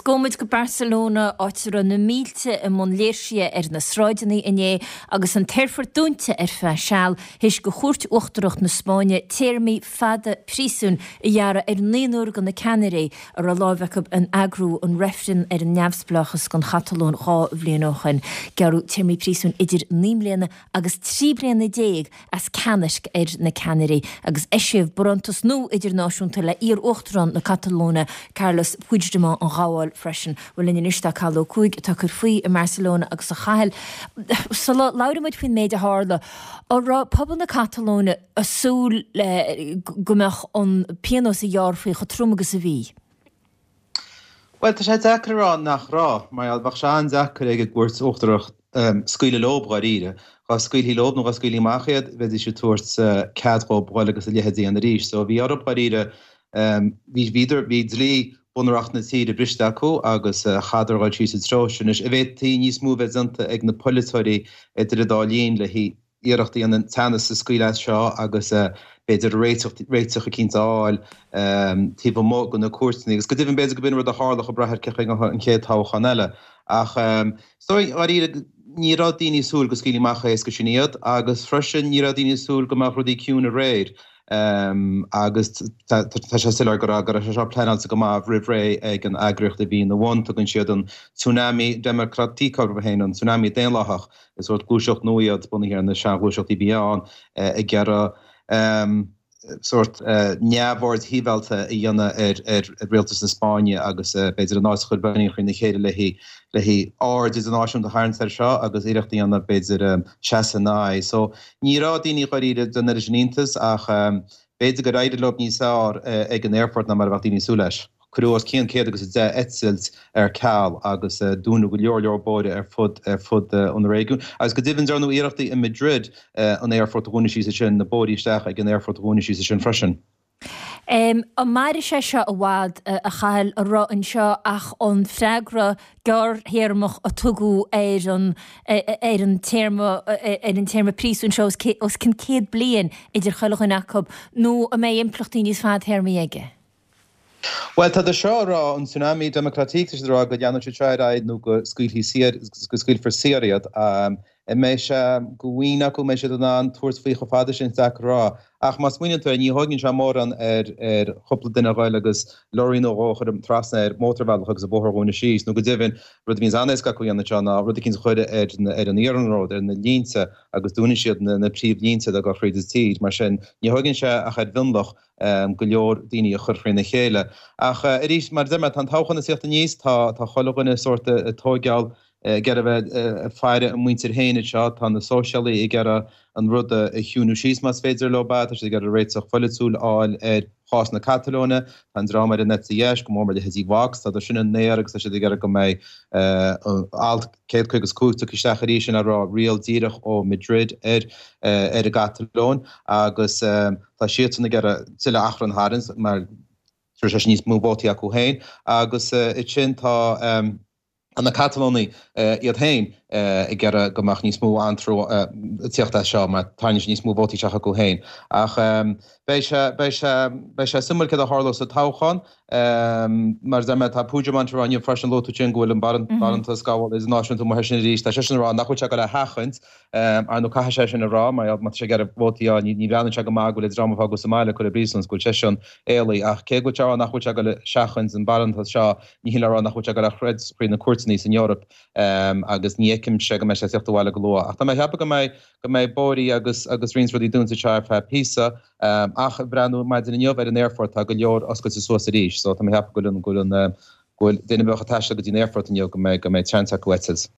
Agus gabhfaidh muid go Barcelona, áit a raibh na mílte i mbun léirsithe ar na sráideanna inné agus an t-aerfort dúnta ar feadh seal théis do Chúirt Uachtarach na Spáinne téarmaí fada príosúin a ghearradh ar naonúr de na ceannairí a raibh láimh acu in eagrú an reifreann ar an neamhspleáchas don Chatalóin 2 bhliain ó shin. Gearradh téarmaí príosúin idir 9 mbliana agus 13 bliana as ceannairc ar na ceannairí agus eisíodh barántas nua idirnáisiúnta le iar-uachtarán na Catalóine Carles Puigdemont a ghabháil freisin. Bhuel linn anois tá Cathal Ó Cuaig atá ag cur faoi i mBarcelona agus a Chathail, sula labhraíonn muid faoin méid a tharla, an raibh pobal na Catalóine ag súil go mbeadh an pionós a ghearrfaí chomh trom agus a bhí? Bhuel, tá sé deacair a rá nach raibh, mar gheall, bheadh sé an-deacair ag an gCúirt Uachtarach scaoileadh leob, dháiríre. Dhá scaoilfí leob nó dhá scaoilfí amach iad, bheidís ag tabhairt cead dhób dhul agus a leithéid a dhéanamh arís. So bhí orthub, dháiríre, bhí, bhíodar, bhí dlí bunreacht na tíre briste acu agus chaitheadar dhul síos sa treo sin. Anois, an bhféadfaí níos mó a bheith déanta ag na polaiteoirí idir an dá linn le iarracht a dhéanamh an teannas a scaoileadh as seo agus b'fhéidir réiteach, réiteach eicínt a fháil taobh amuigh de na cúirteanna. Agus go deimhin b'fhéidir go b'in rud a tharlódh ag brath ar cén chaoi a ngabhfaidh an chéad toghchán eile. Ach is dóigh, dháiríre, ní raibh daoine ag súil go scaoilfí amach é is go sin iad agus freisin ní raibh daoine ag súil go mbeadh rudaí ciúin aréir. Agus tá sé soiléir go raibh go raibh sé seo pleanáilte go maith roimh ré ag an eagraíocht a bhí ina bhun. Tugann siad an Tsunami Democràtic orthu féin, an Tsunami Daonlathach. Is sórt gluaiseacht nua iad, bunaithe ar na seanghluaiseachtaí a bhí ann, ag iarraidh sórt neamhaird shibhialta a dhéanamh ar rialtas na Spáinne agus b'fhéidir an áit a chur beagáinín thrína chéile le haghaidh aird idirnáisiúnta a tharraingt air seo agus iarracht a dhéanamh b'fhéidir seasamh ina aghaidh. So ní raibh daoine dháiríre den oiread sin iontais ach b'fhéidir gur éirigh leo níos fearr ag an aerfort ná mar a bheadh daoine ag súil leis. Cuireadh os cionn 110 eitilt ar ceal agus dúnadh go leor leor bóithre ar fud ar fud an réigiúin. Agus go deimhin dearnadh iarrachtaí i Madrid an aerfort a dhúnadh síos ansin, na bóithrí isteach ag an aerfort a dhúnadh síos ansin freisin. An mairfidh sé seo i bhfad, a Chathail, an raibh anseo ach an freagra gearrthéarmach a tugadh ar an ar an téarma ar an téarma príosúin seo os cionn 100 bliain idir chuile dhuine acu, nó an mbeidh impleachtaí níos fadtéarmaí aige? Bhuel, tá siad seo a rá, an Tsunami Democràtic, tá siad a rá go leanfaidh siad seo ar aghaidh nó go scaoilfí saor, go scaoilfear saor iad. An mbeidh sé de mhaoin acu, an mbeidh siad in ann tabhairt faoi chomh fada sin, is deacair a rá. Ach má smaoiníonn tú air, ní thóigeann sé mórán ar ar chúpla duine a ghoil agus leoraí nó dhó a chur trasna ar mhótarbhealach agus an bóthar a dhúnadh síos, nó go deimhin, rud a bhíonns an-éasca acu a dhéanamh anseo ná rud eicínt a chur ar ar an iarnród, ar na línte, agus dúnann siad na na príomhlínte atá ag dul thríd an tír. Mar sin, ní thóigeann sé ach ar mhionlach go leor daoine a chur thrína chéile. Ach arís, mar a deir mé, tá an toghchán ag tíocht aníos, tá tá chuile dhuine sórt ag tóigeáil, ag iarraidh a bheith ag faire a muintir féin anseo, tá na sóisialaigh ag iarraidh an rud a chiúnú síos más féidir leo é, tá siad ag iarraidh réiteach pholaitiúil a fháil ar chás na Catalóine, tá an dream ar an eite dheis, go mór mór leithéidí Vox, tá siad sin in aer agus tá siad ag iarraidh go mbeidh alt 155 tugtha isteach arís, sin ag rá riail díreach ó Madrid ar ar an gCatalóin agus tá siadsan ag iarraidh tuilleadh achrann a tharraingt mar tabharfaidh sé sin níos mó vótaí acu féin agus ansin tá na Catalónaigh iad féin ag iarraidh go mbeadh níos mó antró ag tíocht as seo mar tarraingíonn sé níos mó vótaí isteach acu féin. Ach beidh sé beidh sé beidh sé suimiúil céard a tharlós sa toghchán. Mar a deir mé tá Puigdemont ag rá inniu freisin luaigh tú sin go bhfuil an barántas gabhála idirnáisiúnta amuigh air sin arís. Tá seisean ag rá nach bhfuil sé ag dul a sheachaint Ar ndóigh caithfidh sé sin a rá, mar má tá sé ag iarraidh vótaí a fháil, ní bhreathnaíonn sé go maith go bhfuil an dream a fágadh sa mbaile curtha i bpríosún is go bhfuil seisean éalaithe. Ach cé go bhfuil sé a rá nach bhfuil sé ag dul a sheachaint an barántas seo, ní hin le rá nach bhfuil sé ag dul a throid thríd na cúirteanna san Eoraip agus ní fheicimse go mbeidh sé ag tíocht abhaile go luath. Ach tá mé ag ceapadh go mbeidh go mbeidh bóithrí agus agus roinnt rudaí dúnta anseo ar feadh píosa. Ach ag breathnú maidin inniu ar an aerfort tá go leor oscailte suas arís so tá mé ag ceapadh go bhfuil an go bhfuil an go bhfuil duine a bheadh ag taisteal go dtí an aerfort inniu go mbeidh go mbeidh seans acu eitilt.